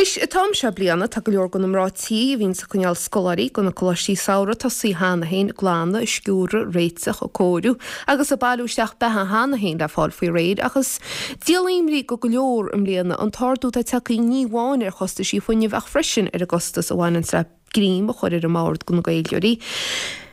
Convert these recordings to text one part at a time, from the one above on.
Anois, an t-am seo bliana, tá go leor de na mná tí a bhíonns ag coinneáil scoláirí do na coláistí samhraidh tosaithe cheana féin ag glanadh, ag sciúradh, réiteach, ag cóiriú agus ag bailiú isteach beatha cheana féin le fáil faoi réir ach is díol imní do go leor i mbliana an t-ardú atá tagtha ní amháin ar chostaisí fuinnimh ach freisin ar an gcostas a bhaineanns le greim a chur ar an mbord do na Gaeilgeoirí.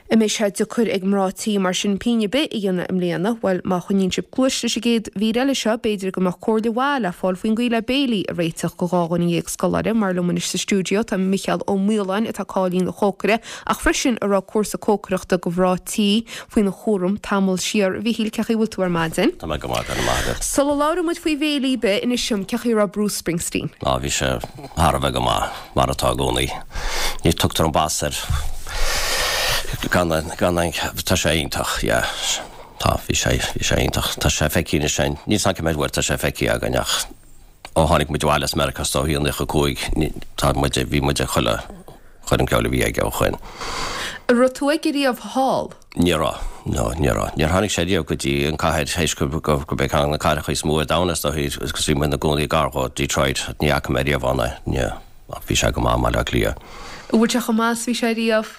An mbeidh sé deacair ag mná tí mar sin pingin ar bith a dhéanamh i mbliana? Bhuel, má choinníonn sibh cluais leis an gcéad mhír eile seo, b'fhéidir go mbeadh comhairle mhaith le fáil faoin gcaoi le béilí a réiteach do 12 scoláire. Mar liom anois sa stiúideo tá Micheál Ó Maoláin, atá cáilithe ina chócaire, ach freisin a raibh cúrsa cócaireachta do mhná tí faoina chúram tamall siar. A Mhichíl, cén chaoi a bhfuil tú ar maidin? Tá mé go maith, go raibh maith agat. Sula labhraíonn muid faoi bhéilí ar bith, inis dom, cén chaoi a raibh Bruce Springsteen? Á, bhí sé thar a bheith go maith. Mar atá i gcónaí. Ní tugtar an bas air gan gan an tá sé iontach, yeah. Tá, bhí sé, bhí sé iontach. Tá sé feicthe anois againn, níl 's agam cé mhéad uair tá sé feicthe againn ach ó tháinig muid abhaile as Meiriceá is dóichí i 95, ní, tá muid, bhí muid ag chuile choirm ceoil a bhí aige ó shoin. An raibh tú aige riamh thall? Ní raibh. No, ní raibh. Níor tháinig sé riamh go dtí an cathair théis go gurb é ceann de na cathracha is mó ar domhan is dóichí agus bhí muid ina gcónaí gar dhó, Detroit. Ní fhaca mé riamh ann é. Ní, ach bhí sé go maith i mBaile Átha Cliath. An bhfuil sé chomh maith is bhí sé riamh?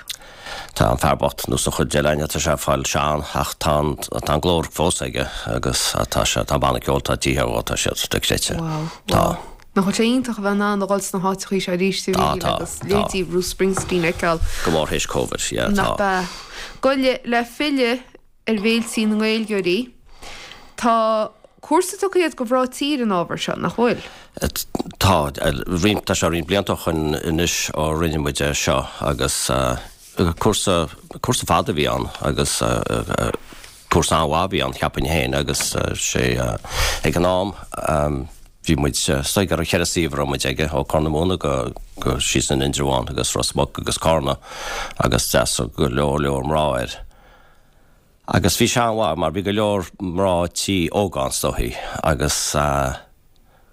Tá an fear bocht, nós an chuid eile againne, tá sé ag fáil sean ach tá an, tá an glór fós aige agus tá sé, tá an banna ceoil atá tithe dhó, tá siad dochreidte. Wow, Tá. wow. Nach bhfuil sé iontach a bheith in ann a dhul sna háiteachaí seo arís a Tá, Mhichíl tá, agus tá. leithéidí Bruce Springsteen a fheiceáil. Go mór théis Covid, yeah, tá. Nach ea. Goile, le filleadh ar bhéiltí na nGaeilgeoirí, tá cúrsa tugtha agat do mhná tí ar an ábhar seo, nach bhfuil? Tá, roinnt, tá sé roinnt blianta ó shoin anois ó rinne muid é seo agus cúrsa, cúrsa fada a bhí ann agus cúrsa an-mhaith a bhí ann, cheapfainn féin, agus sé ag an am, Bhí muid, is dóigh gur cheithre suíomh a raibh muid aige, ó Corr na Móna go, go síos an Indreabhán agus Ros Muc agus Cárna agus d'fhreastail go leor leor mná air. Agus bhí sé an-mhaith mar bhí go leor mná tí óga ann is dóichí agus eh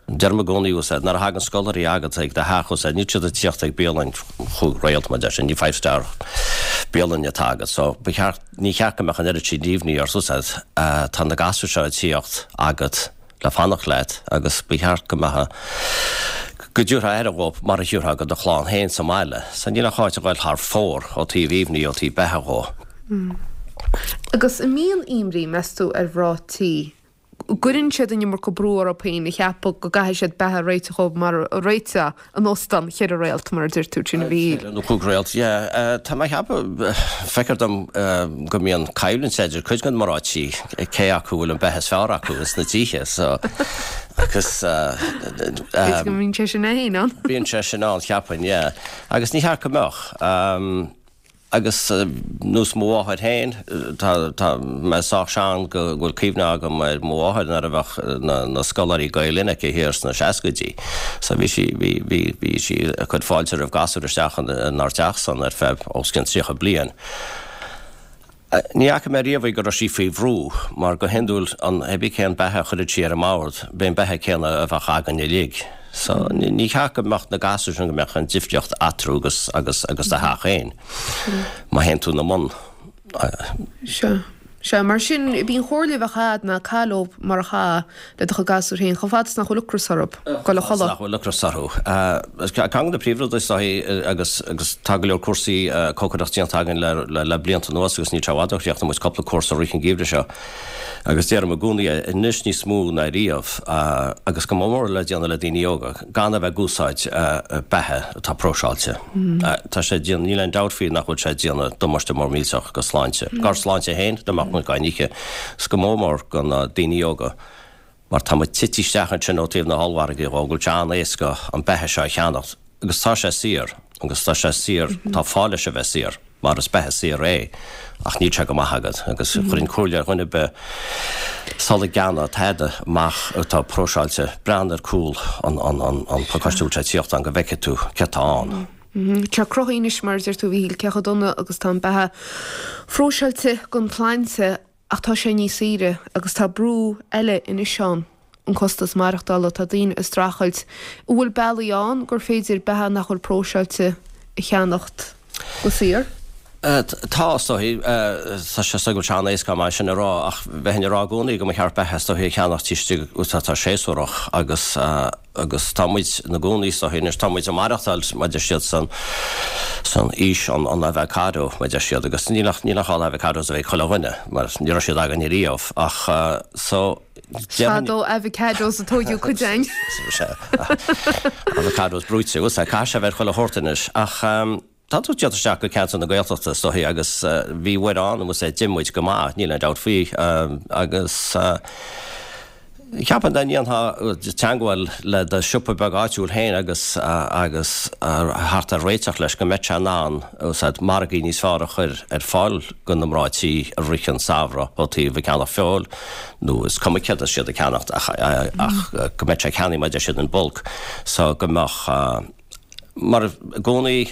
deirim i gcónaí úsáid, nuair a thagann scoláirí agat ag do theach úsáid, níl siad ag tíocht ag bialann chúig réalt mar deir siad, ní five star bialann atá agat so ba cheart, ní cheart go mbeadh an oiread sin imní ort úsáid, tá na gasúir seo ag tíocht agat le fanacht leat agus ba cheart go mbeadh, go dtabharfá aire dhóibh mar a thiúrfá go do chlann féin sa mbaile. So níl ach áit a ghoil thar fóir ó taobh imní, ó taobh beatha dhó. Agus an mbíonn imní, meas tú, ar mhná tí gcuireann siad an iomarca brú orthu féin a cheapadh go gcaithfidh siad beatha a réiteach dhóibh mar a réiteodh in óstán cheithre réalt, mar a deir tú, sin a Mhichíl. Ceithre nó chúig réalt, yeah. Tá mé ag ceapadh, feictear dom go mbíonn coimhlint idir cuid de na mná tí, cé acu a bhfuil an beatha is fearr acu ins na tithe, so, agus. B'fhéidir go mbíonn sé sin féin ann. Bíonn sé sin ann, cheapfainn, yeah. Agus ní cheart go mbeadh. Agus nós mo mháthair féin, tá, tá mé sách sean go bhfuil cuimhne agam ar mo mháthair nuair a bheadh na, na scoláirí Gael Linn aici thiar sna seascaidí. So bhí sí, bhí, bhí, bhí sí ag cur fáilte roimh gasúir isteach inár dteach san ar feadh os cionn 30 bliain. Ní fhaca mé riamh í go raibh sí faoi bhrú, mar go hiondúil an, hé bí cén beatha a chuireadh sí ar an mbord, b'é an beatha céanna a bheadh againn uilig. So, ní cheart go mbeadh na gasúir sin, go mbeadh an difríocht eatarthu agus, agus, agus do theach féin. Má théann tú ina mbun. Sea. Sea, mar sin, b'í an chomhairle a bheadh a'd ná caith leo mar a chaithfeá le do chuid gasúr féin, chomh fada is nach bhfuil ocras orthu, goil a Chomh fada is chodladh. nach bhfuil ocras orthu. Ceann de na príomhrudaí is dóichí, agus, agus tá go leor cúrsaí cócaireachta déanta againn le, le, le blianta anuas agus níl sé i bhfad ó chríochnaigh muid cúpla cúrsa i rith an gheimhridh seo. Agus deirim i gcónaí é, anois níos mó ná riamh, agus go mór mór le déanamh le daoine óga, gan a bheith ag úsáid beatha atá próiseáilte. Tá sé ag déanamh, níl aon dabht faoi nach bhfuil sé ag déanamh damáiste mór millteach go sláinte, dár sláinte féin, dá mbeadh muid á n-ithe, is go mór mór go na daoine óga, mar tá muid tite isteach ansin ó taobh na hollmhargaí dhó, go bhfuil sé an-éasca an beatha seo a cheannacht, agus tá sé saor, agus tá sé saor, tá fáth leis a bheith saor. mar is beatha saor é, ach níl sé go maith agat, agus chuirfinn comhairle ar dhuine ar bith sula gceannóidh tada amach atá próiseáilte, breathnaigh ar cúl an phacáiste a bhfuil sé ag tíocht ann go bhfeicfidh tú céard tá ann. Tá cruthaithe anois, mar a deir tú, a Mhíchíl, cé chomh dona agus tá an beatha phróiseáilte don tsláinte. Ach tá sé níos saoire agus tá brú eile anois ann, an costas maireachtála, tá daoine ag streachailt. An bhfuil bealaí ann gur féidir beatha nach bhfuil próiseáilte a cheannacht go saor? Tá, is dóichí. Tá sé is dóigh go bhfuil sé an-éasca mar sin a rá ach bheinn ag rá i gcónaí go mba cheart beatha is dóichí a cheannacht taobh istigh atá séasúrach agus agus tá muid ina gcónaí is dóichí anois tá muid ag maireachtáil mar a deir siad san san aois an an avocado mar a deir siad agus níl ach níl ach an avocados a bheith ag chuile dhuine mar ní raibh siad againn ariamh ach so déarfainn Fadó avocados a tóigeadh cuid againn. Avocados brúite, bhuel sea, caithfidh sé a bheith ar chuile shórt anois ach Tá tú ag teacht isteach go ceantar na Gaeltachta is dóichí agus bhí uair ann agus d'ith muid go maith, níl aon dabht faoi agus cheapfainn dá ndéanfá teangmháil le do siopa beag áitiúil féin agus agus theacht ar réiteach leis go mbeadh sé in ann úsáid margaí níos fearr a chur ar fáil go na mná tí i rith an samhradh ó taobh ag ceannach feoil nó is cuma céard atá siad ag ceannacht ach ach go mbeadh sé ag ceannaigh mar a deir siad in bulk so go mbeadh Mar i gcónaí,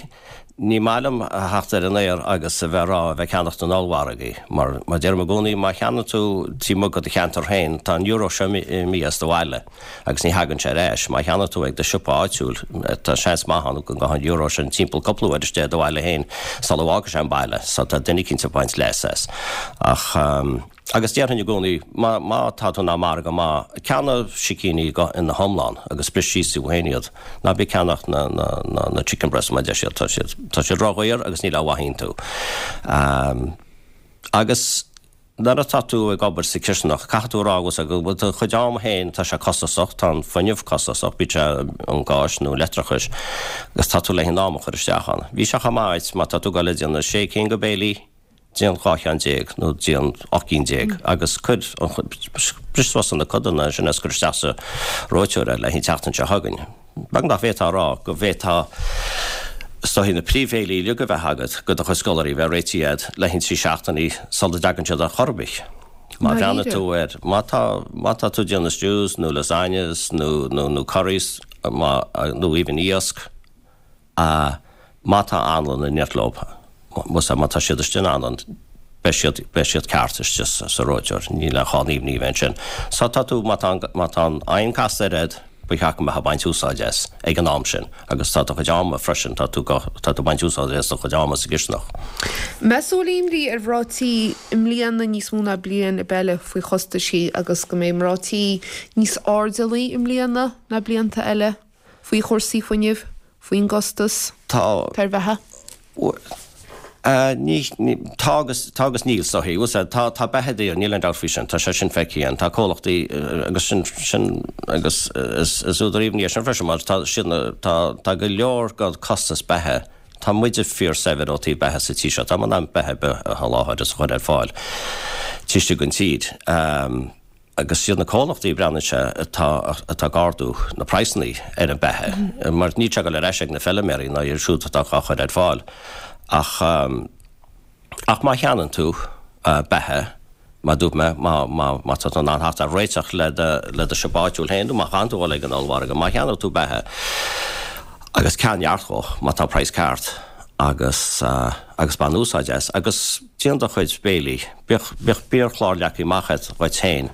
ní maith liom a theacht ar an aer agus a bheith ag rá a bheith ag ceannacht in ollmhargaí, mar mar deirim i gcónaí, má cheannaíonn tú taobh amuigh de do cheantar féin, tá an euro seo imithe as do bhaile agus ní thagann sé ar ais. Má cheannaíonn tú ag do siopa áitiúil, tá seans maith ann go ngabhann an euro sin timpeall cúpla uair istigh i do bhaile féin sula bhfágfaidh sé an baile, so tá duine eicínt ag baint leas as. Ach. Agus déarfainn i gcónaí, má, má tá tú in ann margadh maith, ceannaigh sicíní go, ina hiomlán agus bris síos tú féin iad. Ná bí ag ceannacht na, na, na, na chicken breasts mar a deir siad, tá siad, tá siad ródhaor agus níl aon mhaith iontu. Agus nuair atá tú ag obair sa chisteanach, caithfidh tú a rá agus go bhfuil do chuid ama féin, tá sé costasach, tá an fuinneamh costasach, bíodh sé an gáis nó leictreachais, agus tá tú le an am a chur isteach ann. Bhí sé chomh maith duit má tá tú ag dul a déanamh sé cinn de bhéilí, déan 12 cheann nó déan 18 gcinn agus cuir an, bris suas ina codanna ansin agus cuir isteach sa reoiteoir é le haghaidh an tseachtain seo chugainn. Beag nach bhféadfá a rá go bhféadfá is dóichí na príomhbhéilí uilig a bheith agat go do chuid scoláirí a bheith réitithe agat le haghaidh 3 seachtainí sula dtagann siad ar chor ar bith. Má bhreathnaíonn tú air, má tá, má tá tú ag déanamh stews nó lasagnes nó, nó, nó curries, má, nó even iasc, A Má tá anlann in éineacht leo, má tá siad istigh in anlann, beidh siad, beidh siad ceart istigh sa reoiteoir, níl aon chall imní a bheith ansin. So tá tú, má tá an, má tá an oigheann casta ar fhad, ba cheart go mbeifeá ag baint úsáid as ag an am sin agus tá do chuid ama freisin, tá tú, tá tú ag baint úsáid as do chuid ama sa gcisteanach. Meas tú an bhfuil imní ar mhná tí i mbliana níos mó ná bliain ar bith eile faoi chostaisí agus go mbeidh mná tí níos airdeallaí i mbliana ná blianta eile? faoi chúrsaí fuinnimh, faoin gcostas Tá. ar bheatha? Ní, tá agus, tá agus níl, is dóichí. Bhuel, sea, tá, tá beatha daor, níl aon dabht faoi sin, tá sé sin feicthe againn. Tá comhlachtaí agus sin, sin, agus is, is údar imní é sin freisin mar tá siad na, tá, tá go leor den costas beatha, tá muide fíor-saibhir ó taobh beatha sa tír seo, tá muid in ann beatha ar bith a sholáthar is a chur ar fáil taobh istigh den tír. Agus siad na comhlachtaí, breathnaíonn sé, atá atá ag ardú na praghsanna ar an beatha, mar níl sé ag dul ar ais ag na feiliméaraí ná iad siúd atá á chur ar fáil. Ach ach má cheannaíonn tú beatha, mar a dúirt mé, má má má tá tú in ann theacht ar réiteach le do le do siopa áitiúil féin nó má chaitheann tú dhul ag an ollmhargadh, má cheannaíonn tú beatha agus ceannaigh neart dhó má tá an praghas ceart agus agus bain úsáid as agus déan do chuid béilí. Bíodh, bíodh biachlár leagtha amach agat dhuit féin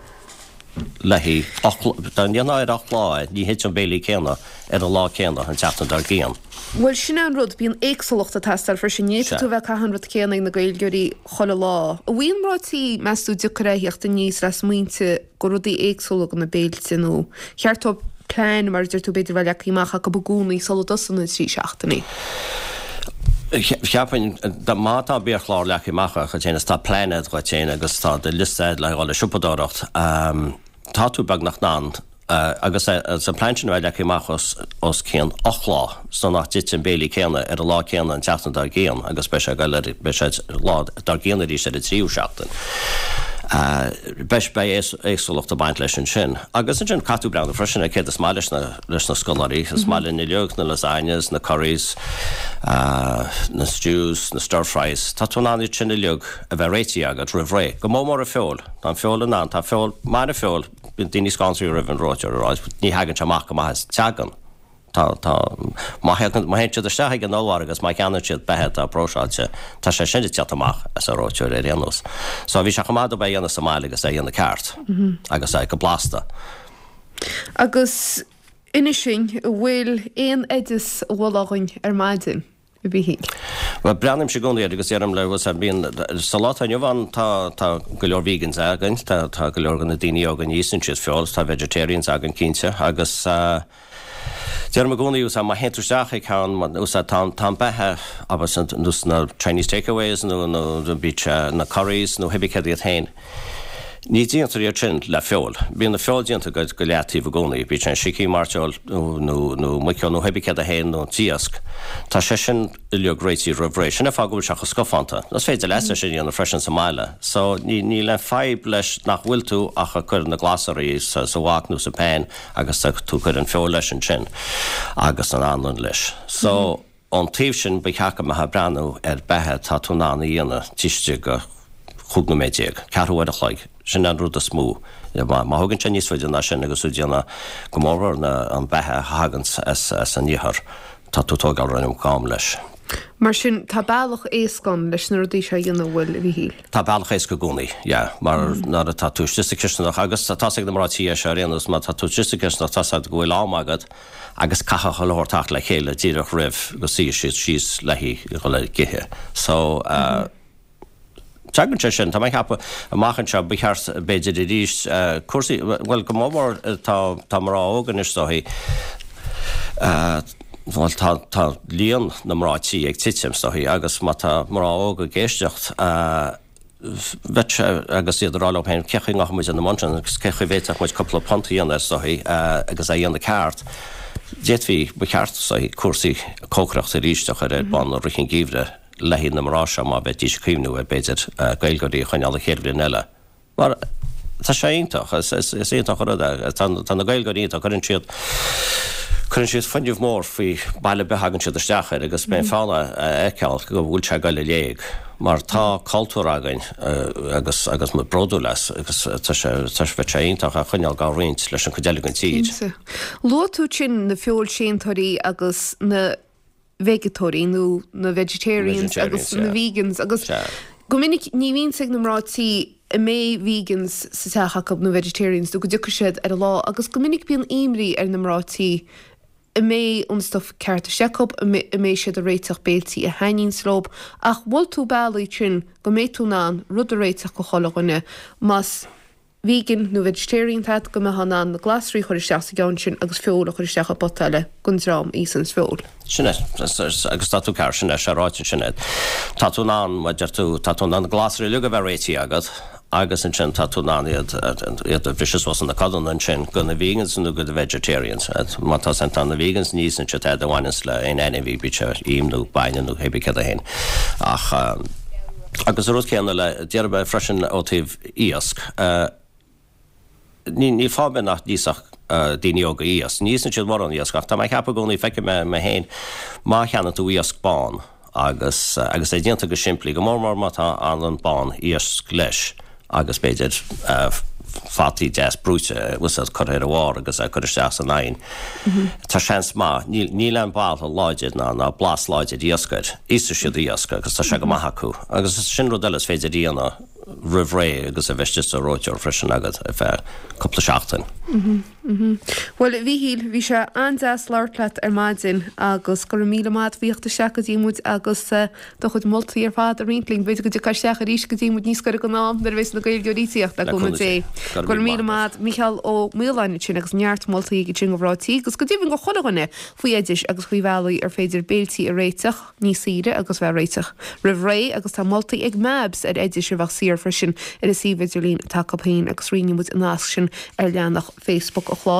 le haghaidh, dá ndéanfá ar 8 lá é, ní thiteann an béilí céanna ar an lá céanna an tseachtain dár gcionn. Bhuel, sin é an rud, bíonn éagsúlacht ag teastáil freisin. Ní fhéadfaidh tú a bheith ag caitheamh an rud céanna ag na Gaeilgeoirí chuile lá. An bhfuil mná tí, meas tú, deacair a theacht aníos le smaointe go rudaí éagsúla go na béilte nó cheart dóibh plean, mar a deir tú, b'fhéidir a bheith leagtha amach acu i gcónaí sula dtosaíonn na trí seachtainí? Cheapfainn, má tá biachlár leagtha amach agat féin is tá plean agat dhuit féin agus tá do liosta agat le dhul ag siopadóireacht, tá tú beagnach in ann agus an plean sin a bheith leagtha amach os cionn 8 lá so nach dtiteann an béilí céanna ar an lá céanna an tseachtain dár gcionn agus beidh sé ag dul ar, beidh sé lá dár gcionn arís ar an tríú seachtain. Beidh, beidh éagsúlacht ag baint leis ansin. Agus ansin caithfidh tú breathnú freisin ar céard is maith leis na, leis na scoláirí. Is maith linn uilig na lasagnes, na curries, na stews, na stir fries. Tá tú in ann iad sin uilig a bheith réitithe agat roimh ré. Go mór mór an feoil. Tá an feoil in ann, tá feoil, maith an feoil, Bíonn daoine scanraithe roimh an reoiteoir ag rá ní thagann sé amach go maith as. Tagann. Tá, tá, má thagann, má théann siad isteach ag an ollmhargadh agus má cheannaíonn siad beatha atá próiseáilte, tá sé sin ag teacht amach as an reoiteoir ar aon nós. So bhí sé chomh maith dóibh é a dhéanamh sa mbaile agus é a dhéanamh ceart agus é go blasta. Agus inis dúinn, an bhfuil aon oideas a mholfá dhúinn ar maidin? A Mhíchíl? Bhuel, breathnaímse i gcónaí air agus deirim le, bhuel, bíonn, sa lá atá inniu ann tá, tá go leor vegans againn, tá, tá go leor de na daoine óga ní íosann siad feoil, tá vegetarians againn cinnte agus eh, deirim i gcónaí, bhuel, má théann tú isteach ag ceann, bhuel, tá, tá an beatha, abair, nós na Chinese takeaways nó, nó bíodh sé na curries nó pé céard iad féin, Ní déantar iad sin le feoil. Bíonn an feoil déanta go go leataobh i gcónaí, bíodh sé sicín, mairteoil nó nó muiceoil nó pé céard é féin nó an t-iasc. Tá sé sin uilig réitithe roimh ré. Sin an fáth go bhfuil sé chomh scafánta. Is féidir leat é sin a dhéanamh freisin sa mbaile. So ní níl aon fadhb leis nach bhfuil tú ach ag cur na glasraí sa sa wok nó sa pan agus tá tú ag cur an feoil leis ansin agus an anlann leis. So. Ón taobh sin, ba cheart go mbeifeá ag breathnú ar beatha atá tú in ann a dhéanamh taobh istigh de 15 nóiméad, ceathrú uair a chloig. Sin an rud is mó. Má thugann sé níos faide ná sin agus tú ag déanamh, go mórmhór an beatha a thagann as an iarthar, tá tú ag tógáil an iomarca am leis. Mar sin, tá bealach éasca ann leis na rudaí seo a dhéanamh, an bhfuil, a Mhíchíl? Tá bealach éasca i gcónaí, yeah, mar nuair atá tú istigh sa chisteanach, agus tá's ag na mná tí é seo ar aon nós, má tá tú istigh sa chisteanach, tá's agat go bhfuil am agat, agus caithfidh chuile shórt teacht le chéile díreach roimh go suífidh siad síos le haghaidh dhul ag ithe. So, tagann sé sin, tá mé ag ceapadh, amach anseo, ba cheart b'fhéidir arís cúrsaí, bhuel go mór mór tá tá mná óga anois is dóichí, bhuel tá tá líon na mná tí ag titim is dóichí agus má tá mná óga ag éisteacht, bheadh sé, agus iad ag rá leo féin, cé chaoi ngabhfaidh muid ina mbun sin agus cé chaoi bhféadfadh muid cúpla punt a dhéanamh is dóichí agus é a dhéanamh ceart. D'fhéadfaí, ba cheart is dóichí, cúrsaí cócaireachta arís a chur ar bun i rith an gheimhridh le haghaidh na mná seo má bheidís ag cuimhniú ar b'fhéidir Gaeilgeoirí a choinneáil an chéad bhliain eile. Mar tá sé iontach, is iontach an rud é. Tá na Gaeilgeoirí iontach, cuireann siad, cuireann siad fuinneamh mór faoi baile ar bith a thagann siad isteach air agus bíonn fonn a fheiceáil go bhfuil sé ag dul i léig. Mar tá cultúr againn agus agus muid bródúil as agus tá sé, tá sé, bheadh sé iontach é a choinneáil dhá roinnt leis an chuid eile den tír. Cinnte. Luaigh tú ansin na feoilséantóirí agus na. veigeatóirí nó na vegetarians agus na vegans agus go minic ní bhíonn 's ag na mná tí an mbeidh vegans sa teach acu nó vegetarians nó go dtiocfaidh siad ar an lá agus go minic bíonn imní ar na mná tí an mbeidh an stuif ceart istigh acu, an mbeidh siad ag réiteach béiltí a thaitníonns leo ach mhol tú bealaí ansin go mbeidh tú in ann rud a réiteach go chuile dhuine más vegan nó vegetarian iad, go mbeifeá in ann na glasraí a chur isteach sa gceann sin agus feoil a chur isteach i bpota eile don dream a íosanns feoil. Sin é, agus tá tú ceart, sin é, sé ráite sin é. Tá tú in ann, mar a deir tú, tá tú in ann na glasraí uilig a bheith réitithe agat agus ansin tá tú in ann iad, iad a bhriseadh suas ina codanna ansin go na vegans nó go na vegetarians. Má tá, tá na vegans ní íosann siad tada a bhaineanns le aon ainmhí, bíodh sé im nó bainne nó hébí céard é féin. Ach, agus an rud céanna le, déarfaidh mé freisin ó taobh, iasc. Níl fáth ar bith nach n-íosfadh daoine óga iasc. Ní íosann siad mórán iasc ach tá mé ag ceapadh i gcónaí, feicim mé mé féin, má cheannaíonn tú iasc bán agus agus é déanta go simplí, go mór mór má tá anlann bán iasc leis agus b'fhéidir fataí deas brúite úsáid curtha ar a bharr agus é curtha isteach san oigheann. Tá seans maith, níl aon boladh láidir ná ná blas láidir iasc air. Íosfaidh siad iasc agus tá sé go maith acu. Agus sin rud eile is féidir a dhéanamh. roimh ré agus a bheith istigh sa reoiteoir freisin agat ar feadh cúpla seachtain. Bhuel, a Mhíchíl, bhí sé an-deas labhairt leat ar maidin agus go raibh míle maith agat as theacht isteach go dtí muid agus do chuid moltaí ar fad a roinnt linn. B'fhéidir go dtiocfá isteach arís go dtí muid níos gaire don am nuair a bheas na Gaeilgeoirí ag tíocht, le cúnamh Dé. Go raibh míle maith agat, Mícheál Ó Maoláin ansin agus neart moltaí aige sin do mhná tí agus go deimhin do chuile dhuine faoi oidis agus faoi bhealaí ar féidir béiltí a réiteach. níos saoire agus bheith réiteach roimh ré agus tá moltaí ag Mabs ar oidis a bheadh saor freisin ar an suíomh idirlín atá acu féin agus roinnfidh muid an nasc sin ar leathanach Facebook an chláir.